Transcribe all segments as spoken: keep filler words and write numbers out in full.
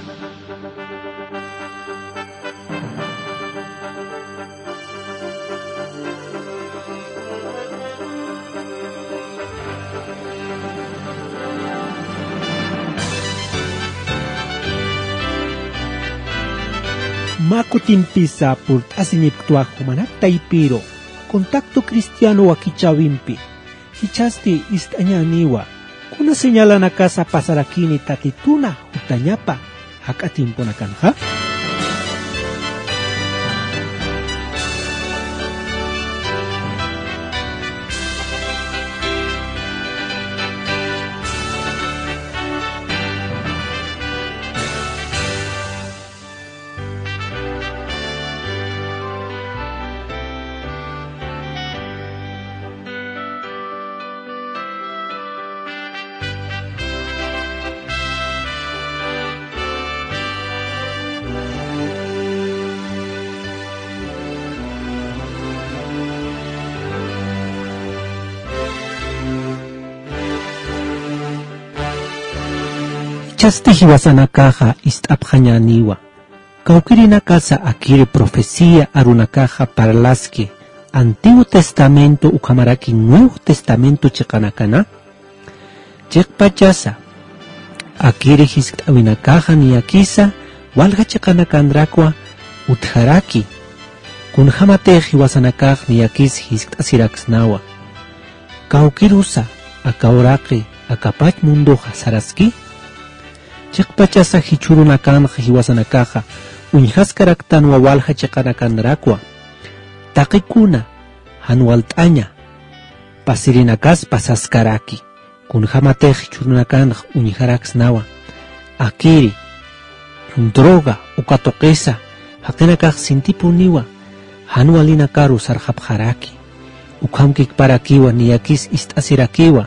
Mä kutimpisa purt'asiñipktw jumanak taypiru Contacto Cristiano wakichäwimpi. Jichhasti ist'añäniwa, kuna señalanakasa pasarakini Tatituna jutañapa jak'a tiemponakanxa. Jichhasti jiwasanakaxa ist'apxañäniwa, kawkirinakasa akiri profecía arunakaxa parlaski, Antiguo Testamento ukhamaraki Nuevo Testamento chiqanakana. Chiqpachasa, akiri jiskt'äwinakaxa niyakisa walja chiqanakanrakwa utjaraki, kunjämatix jiwasanakax niyakis jiskt'asiraksnawa. Kawkirusa aka uraqi akapach mundoxa saraski. Chiqpachasa jichhürunakanxa jiwasanakaxa uñjaskaraktanwa walja chiqanakanrakwa. Taqikuna jan walt'aña pasirinakas pasaskaraki. Kunjämatix jichhürunakanx uñjaraksnawa, akiri, droga, uka tuqisa, jaqinakax sintipuniwa, jan walinakaru sarxapxaraki. Ukhamkikparakiwa niyakis ist'asirakiwa,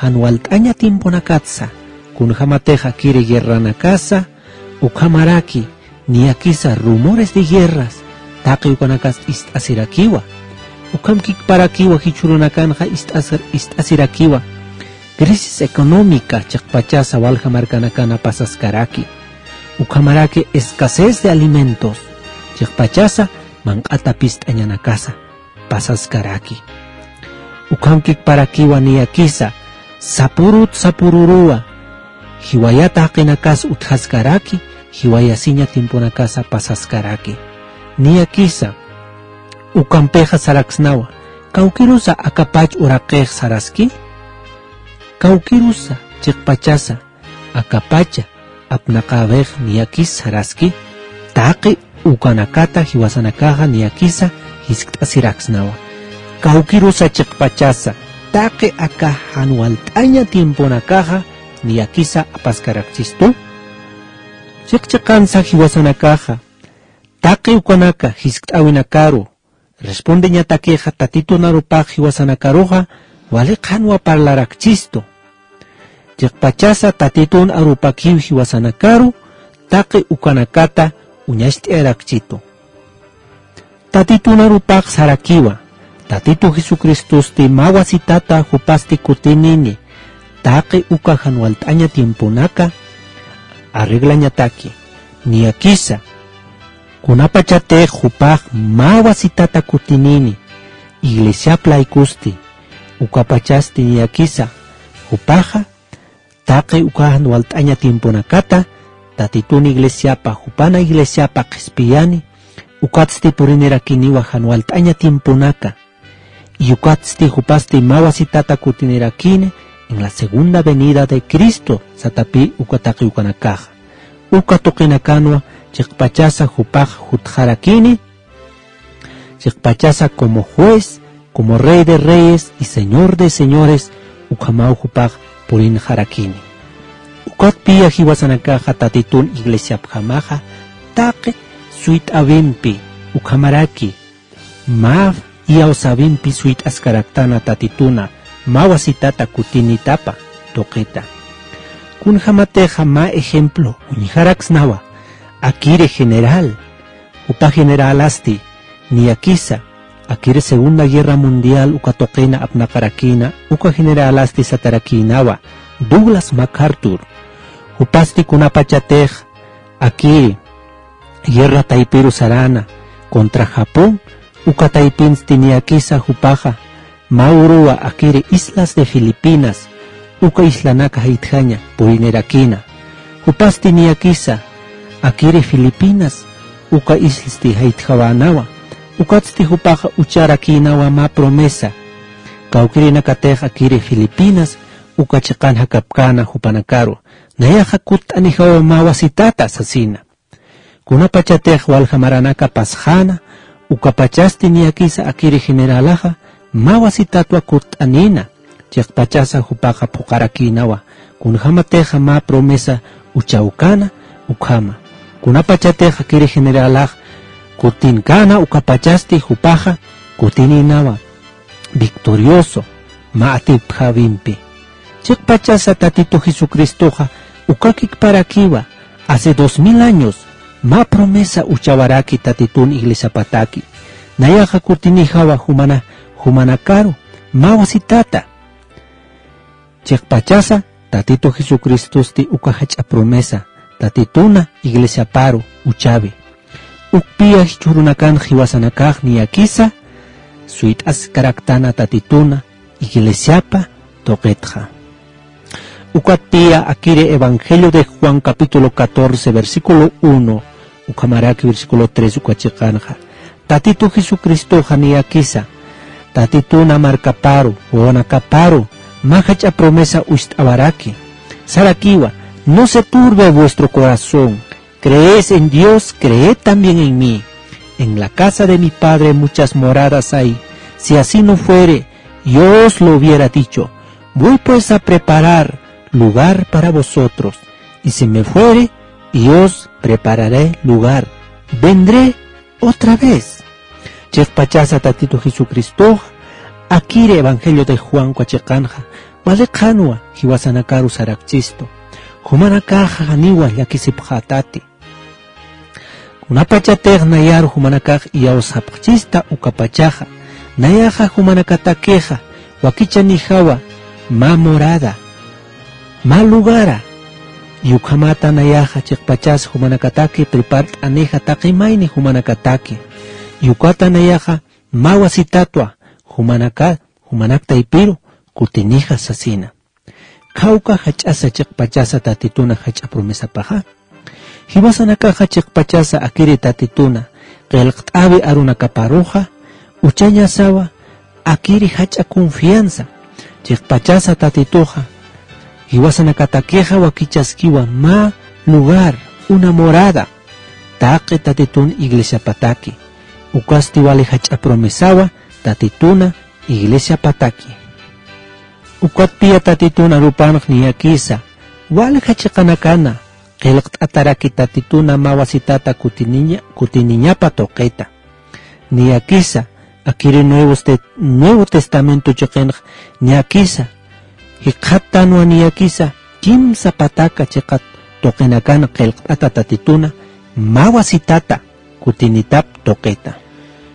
jan walt'aña tiemponakatsa, kunjämatix akiri guerranakasa, ukhamaraki, niyakisa rumores de guerras, taqi ukanakas ist'asirakiwa. Ukhamkikparakiwa jichhürunakanxa ist'asir-, ist'asirakiwa. Crisis económica chiqpachasa walja markanakana pasaskaraki. Ukhamaraki escasez de alimentos. Chiqpachasa manq'ata pist'añanakasa pasaskaraki. Ukhamkikparakiwa niyakisa sapurut sapururuwa, jiwayata jaqinakas utjaskaraki, jiwayasiña tiemponakasa pasaskaraki. Niyakisa ukampixa saraksnawa, kawkirusa akapach uraqix saraski. Kawkirusa chiqpachasa akapacha apnaqäwix niyakis saraski, taqi ukanakata jiwasanakaxa niyakisa jiskt'asiraksnawa. Kawkirusa chiqpachasa taqi aka jan walt'aña tiemponakaxa niyakisa apaskarakchistu. Chiqchiqansa jiwasanakaxa taqi ukanaka jiskt'äwinakaru respondeñatakixa Tatitun arupax jiwasanakaruxa wali qhanwa parlarakchistu. Chiqpachasa Tatitun arupakiw jiwasanakaru taqi ukanakata uñacht'ayarakchitu. Tatitun arupax sarakiwa, Tatitu Jesucristosti mä wasitata jupasti kutinini, taqi uka jan walt'aña tiemponaka arreglañataki, niyakisa kunapachatix jupax mä wasitata kutinini, iglesiap laykusti, ukapachasti niyakisa jupaxa taqi uka jan walt'aña tiemponakata Tatitun iglesiapa, jupana iglesiapa qhispiyani, ukatsti purinirakiniwa jan walt'aña tiemponaka. Y ukatsti jupasti mä wasitata kutinirakini en la segunda venida de Cristo, satapï uka taqi ukanakaxa. Uka tuqinakanwa chiqpachasa jupax jutxarakini, chiqpachasa como juez, como Rey de reyes y Señor de señores, ukhamaw jupax purinxarakini. Ukatpï jiwasanakaxa Tatitun iglesiapjamaxa taqi suyt'äwimpi ukhamaraki mä iyawsäwimpi suyt'askaraktana Tatituna mä wasitata kutinitapa tuqita. Kunjämatixa mä ejemplo uñjaraksnawa, akiri general, jupa generalasti niyakisa akiri Segunda Guerra Mundial uka tuqina apnaqarakïna, uka generalasti satarakïnawa, Douglas MacArthur. Jupasti kunapachatix akiri guerra taypiru sarana contra Japón, uka taypinsti niyakisa jupaxa mä uruwa akiri islas de Filipinas, uka islanaka jaytjaña purinirakïna. Jupasti niyakisa akiri Filipinas uka islsti jaytjawänawa, ukatsti jupaxa ucharakïnawa mä promesa. Kawkïrinakatix akiri Filipinas uka chiqan jakapkäna jupanakaru, nayaxa kutt'anijawa mä wasitata sasina. Kunapachatix walja maranaka pasxäna, ukapachasti niyakisa akiri generalaxa mä wasitatwa kutt'anïna, chiqpachasa jupaxa phuqarakïnawa, kunjämatixa mä promesa uchawkäna ukhama. Kunapachatix akiri generalax kutinkäna, ukapachasti jupaxa kutinïnawa victorioso mä atipjäwimpi. Chiqpachasa Tatitu Jesucristoxa ukakikparakiwa, hace dos mil años mä promesa uchawaraki Tatitun iglesiapataki. Nayaxa kutinijawa jumana, jumanakaru mä wasitata. Chiqpachasa Tatitu Jesucristosti uka jach'a promesa Tatituna iglesiaparu uchawi. Ukpiya jichhürunakan jiwasanakax niyakisa suyt'askaraktana Tatituna iglesiapa tuqitxa. Ukatpiya akiri Evangelio de Juan capítulo catorce, versículo uno, ukhamaraki versículo tres uka chiqanxa. Tatitu Jesucristoxa niyakisa, Tatituna markaparu, wawanakaparu, mä jach'a promesa uñst'awaraki. Sarakiwa, no se turbe vuestro corazón. Creéis en Dios, creed también en mí. En la casa de mi Padre muchas moradas hay. Si así no fuere, yo os lo hubiera dicho. Voy pues a preparar lugar para vosotros. Y si me fuere, y os prepararé lugar, vendré otra vez. Chiqpachasa Tatitu Jesucristox, akiri Evangelio de Juan uka chiqanxa, wali qhanwa jiwasanakaru sarakchistu. Jumanakaxa janiwa llakisipxätati. Kunapachatix nayar jumanakax iyawsapxchista ukapachaxa, nayaxa jumanakatakixa wakichanijawa mä morada, mä lugara, y ukhamata nayaxa chiqpachas jumanakataki prepart'anixa taqi mayni jumanakataki, y ukata nayaxa mä wasitatwa jumanaka, jumanak taypiru kutinija sasina. Khawka jach'asa chiqpachasa Tatituna jach'a promesapaxa. Jiwasanakaxa chiqpachasa akiri Tatituna qillqt'äwi arunakaparuxa, uchañasawa akiri jach'a confianza. Chiqpachasa Tatituxa, jiwasanakatakixa wakichaskiwa mä lugar, una morada, taqi Tatitun iglesiapataki. Ukasti wali jach'a promesawa Tatituna iglesiapataki. Ukatpiya Tatitun arupanx niyakisa, walja chiqanakana qillqt'ataraki Tatituna mä wasitata kutiniña, kutiniñapa tuqita. Niyakisa, akiri Nuevos Te-, Nuevo Testamento chiqinx niyakisa, jikxattanwa niyakisa, kimsa pataka chiqat tuqinakan qillqt'ata Tatituna mä wasitata kutinitap tuqita.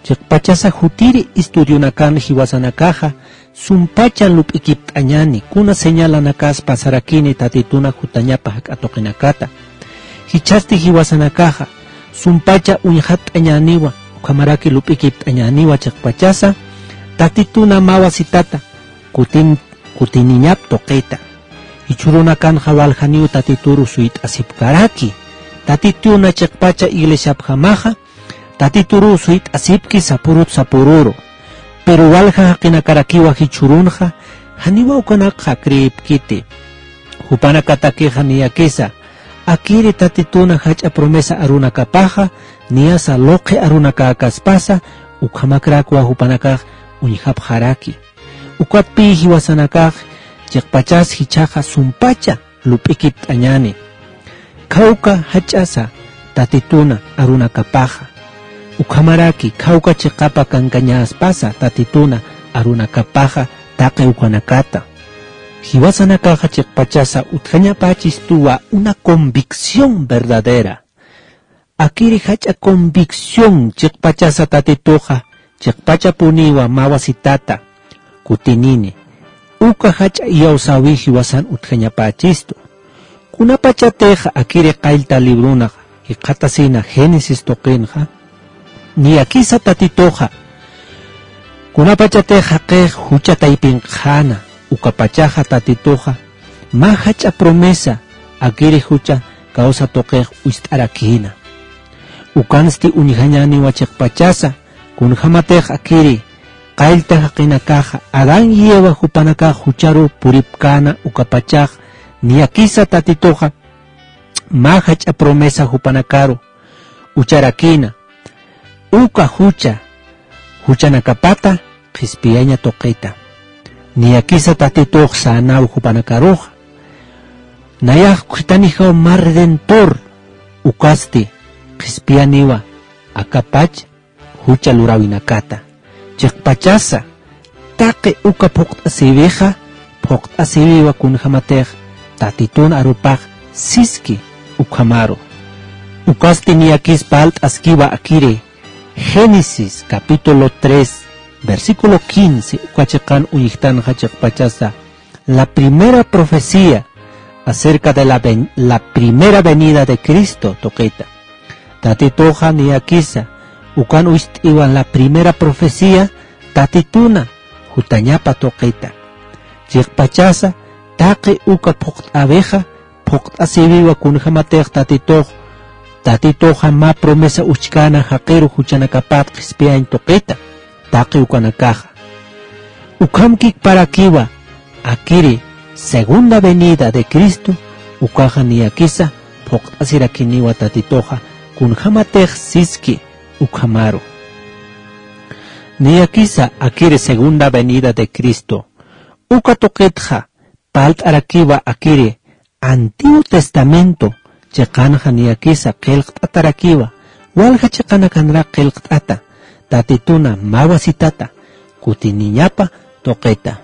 Chiqpachasa jutiri estudionakan jiwasanakaxa sumpacha lup'ikipt'añani, kuna señalanakas pasarakini Tatituna jutañapa jak'a tuqinakata. Jichhasti jiwasanakaxa sumpacha uñxatt'añäniwa, ukhamaraki lup'ikipt'añäniwa chiqpachasa Tatituna mä wasitata kutin-, kutiniñap tuqita. Jichhürunakanxa waljaniw Tatituru suyt'asipkaraki. Tatituna chiqpacha iglesiapjamaxa, Tatituru suyt'asipki sapurut sapururu. Pero walja jaqinakarakiwa jichhürunxa, janiwa ukanakxa creepkiti. Jupanakatakixa niyakisa, akiri Tatituna jach'a promesa arunakapaxa, niyasa luqhi arunakäkaspasa, ukhamakrakwa jupanakax uñjapxaraki. Ukatpï jiwasanakax chiqpachas jichhaxa sumpacha lup'ikipt'añäni. Khawka jach'asa Tatituna arunakapaxa. Ukhamaraki khawka chiqapa kankañäspasa Tatituna arunakapaxa taqi ukanakata. Jiwasanakaxa chiqpachasa utjañapächistuwa una convicción verdadera. Akiri jach'a convicción chiqpachasa Tatituxa, chiqpachapuniwa mä wasitata kutinini. Uka jach'a iyawsäwi jiwasan utjañapächistu. Kunapachatixa akiri qallta librunaxa, jikxatasina Génesis tuqinxa, niyakisa Tatituxa, kunapachatix jaqix jucha taypinqxäna, ukapachaxa Tatituxa, mä jach'a promesa, akiri jucha kawsa tuqix uyst'arakïna. Ukansti uñjañäniwa chiqpachasa, kunjämatix akiri, qallta jaqinakaxa, Adán y Eva jupanakax jucharu puripkäna ukapachax, niyakisa Tatituxa, mä jach'a promesa jupanakaru, ucharakïna, uka jucha, juchanakapata, qhispiyaña tuqita. Niyakisa Tatitux sänaw jupanakaruxa. Nayax khitanijaw mä redentor, ukasti, qhispiyaniwa, akapach, jucha luräwinakata. Chiqpachasa, taqi uka phuqt'asïwixa, phuqt'asïwiwa kunjämatix, Tatitun arupax, siski, ukhamaru. Ukasti niyakis parlt'askiwa akiri, Génesis capítulo tres, versículo quince, uka chiqan uñjtanxa chiqpachasa, la primera profecía acerca de la ven-, la primera venida de Cristo tuqita. Tatituxa niyakisa, ukan uyst'iwa la primera profecía, Tatituna, jutañapa tuqita. Chiqpachasa, taqi uka phuqt'äwixa, phuqt'asïwiwa kunjämatix Tatitux, Tatituxa mä promesa uchkäna jaqiru juchanakapat qhispiyañ tuqita, taqi ukanakaxa. Ukhamkikparakiwa, akiri, segunda venida de Cristo, ukaxa niyakisa, phuqt'asirakiniwa Tatituxa, kunjämatix siski, ukhamaru. Niyakisa, akiri segunda venida de Cristo. Uka tuqitxa, parlt'arakiwa akiri, Antiguo Testamento, chiqanxa niyakisa qillqt'atarakiwa, walja chiqanakanrak qillqt'ata, Tatituna mä wasitata, kutiniñapa tuqita.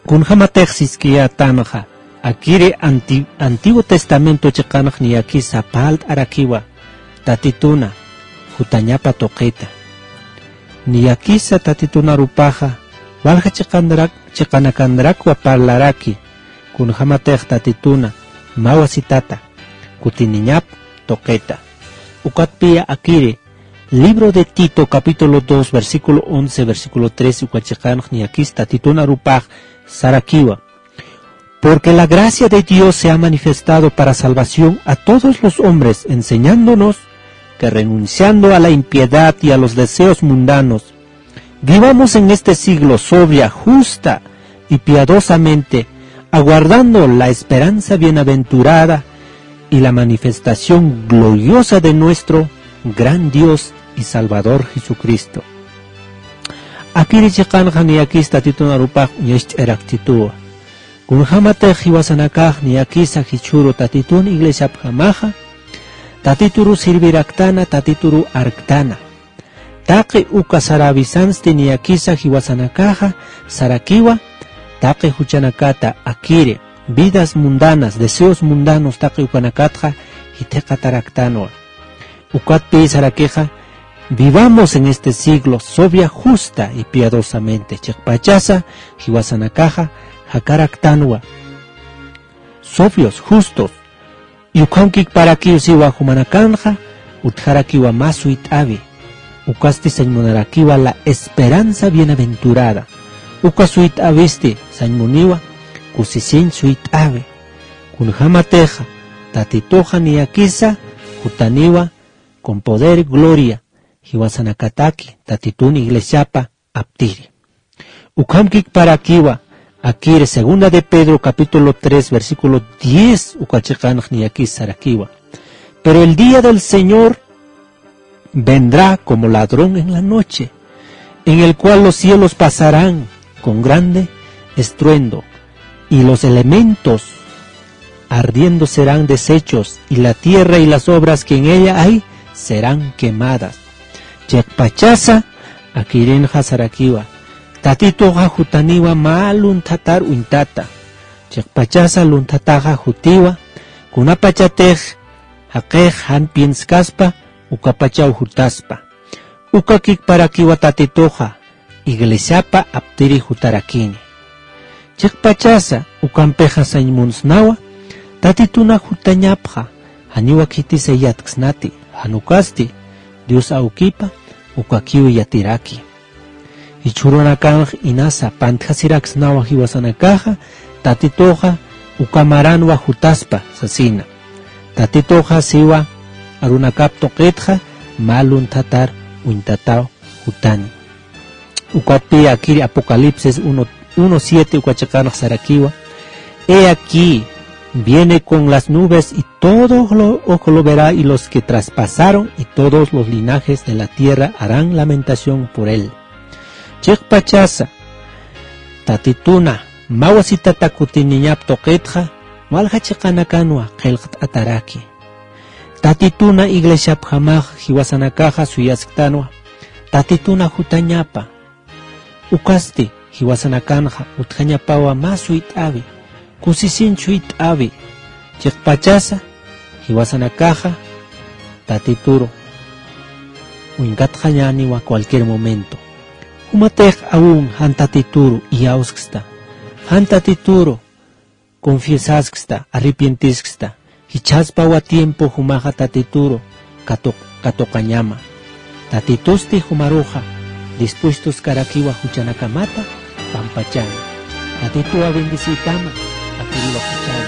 Kunjämatix siskiyätanxa, akiri Anti-, Antiguo Testamento chiqanx niyakisa parlt'arakiwa, Tatituna, jutañapa tuqita. Niyakisa Tatitun arupaxa, walja chiqanrak, chiqanakanrakwa parlaraki, kunjämatix Tatituna, mä wasitata, kutiniñap, tuqita. Ukatpiya akiri, libro de Tito, capítulo dos, versículo once, versículo trece, uka chiqanx niyakis Tatitun arupax, sarakiwa. Porque la gracia de Dios se ha manifestado para salvación a todos los hombres, enseñándonos que renunciando a la impiedad y a los deseos mundanos, vivamos en este siglo sobria, justa y piadosamente, aguardando la esperanza bienaventurada y la manifestación gloriosa de nuestro gran Dios y Salvador Jesucristo. Akiri chiqanxa niyakis Tatitun arupax uñacht'arakchituwa. Kunjämatix jiwasanakax niyakisa jichhüru Tatitun iglesiapjamaxa, Tatituru sirviraktana, Tatituru arktana. Taqi uka sarawisansti niyakisa jiwasanakaxa, sarakiwa, taqi juchanakata akiri, vidas mundanas, deseos mundanos taqi ukanakatxa, jithiqataraktanwa. Ukatpi sarakixa, vivamos en este siglo sobria, justa y piadosamente. Chiqpachasa, jiwasanakaxa, jakaraktanwa. Sobrios, justos. Y ukhamkikparakiw siwa jumanakanxa, utjarakiwa mä suyt'äwi. Ukasti sañmunarakiwa la esperanza bienaventurada. Uka suyt'äwisti, sañmuniwa, kusisiñ suyt'äwi. Kunjämatixa, Tatituxa niyakisa, jutaniwa, con poder y gloria, jiwasanakataki, Tatitun iglesiapa aptiri. Ukhamkikparakiwa, akiri segunda de Pedro capítulo tres, versículo diez, uka chiqanx niyakis sarakiwa. Pero el día del Señor vendrá como ladrón en la noche, en el cual los cielos pasarán con grande estruendo, y los elementos ardiendo serán deshechos, y la tierra y las obras que en ella hay serán quemadas. Chiqpachasa, akirinxa sarakiwa. Tatituxa jutaniwa mä lunthatar uñtata. Chiqpachasa lunthataxa jutiwa, kunapachatix jaqix jan pienskaspa, ukapachaw jutaspa. Ukakikparakiwa Tatituxa, iglesiapa aptiri jutarakini. Chiqpachasa, ukampixa sañmunsnawa, Tatituna jutañapxa, Janiwa khitisa yatksnati, jan ukasti Dios awkipa ukakiw yatiraki. Jichhürunakanx inasa pantjasiraksnawa jiwasanakaxa, Tatituxa uka maranwa jutaspa sasina. Tatituxa siwa arunakap tuqitxa mä lunthatar uñtataw jutani. Ukatpï akiri Apocalipsis uno, uno siete uka chiqanx sarakiwa: He aquí, viene con las nubes y todo lo, ojo lo verá y los que traspasaron y todos los linajes de la tierra harán lamentación por él. Chiqpachasa, Tatituna mä wasitata kutiniñap tuqitxa, walja chiqanakanwa qillqt'ataraki. Tatituna iglesiapjamax jiwasanakaxa suyasktanwa, Tatituna jutañapa. Ukasti jiwasanakanxa utjañapawa mä suyt'äwi, kusisin suyt'äwi. Chiqpachasa jiwasanakaxa Tatituru uñkatxañäniwa cualquier momento. Jumatix aún jan Tatituru iyawsksta, jan Tatituru confiesasksta, arrepientisksta, jichhaspawa tiempo jumaxa Tatituru katuq-, katuqañama. Tatitusti jumaruxa dispuestoskarakiwa juchanakamata pampachani. Tatituwa bendeciytama, akiriwa juchana.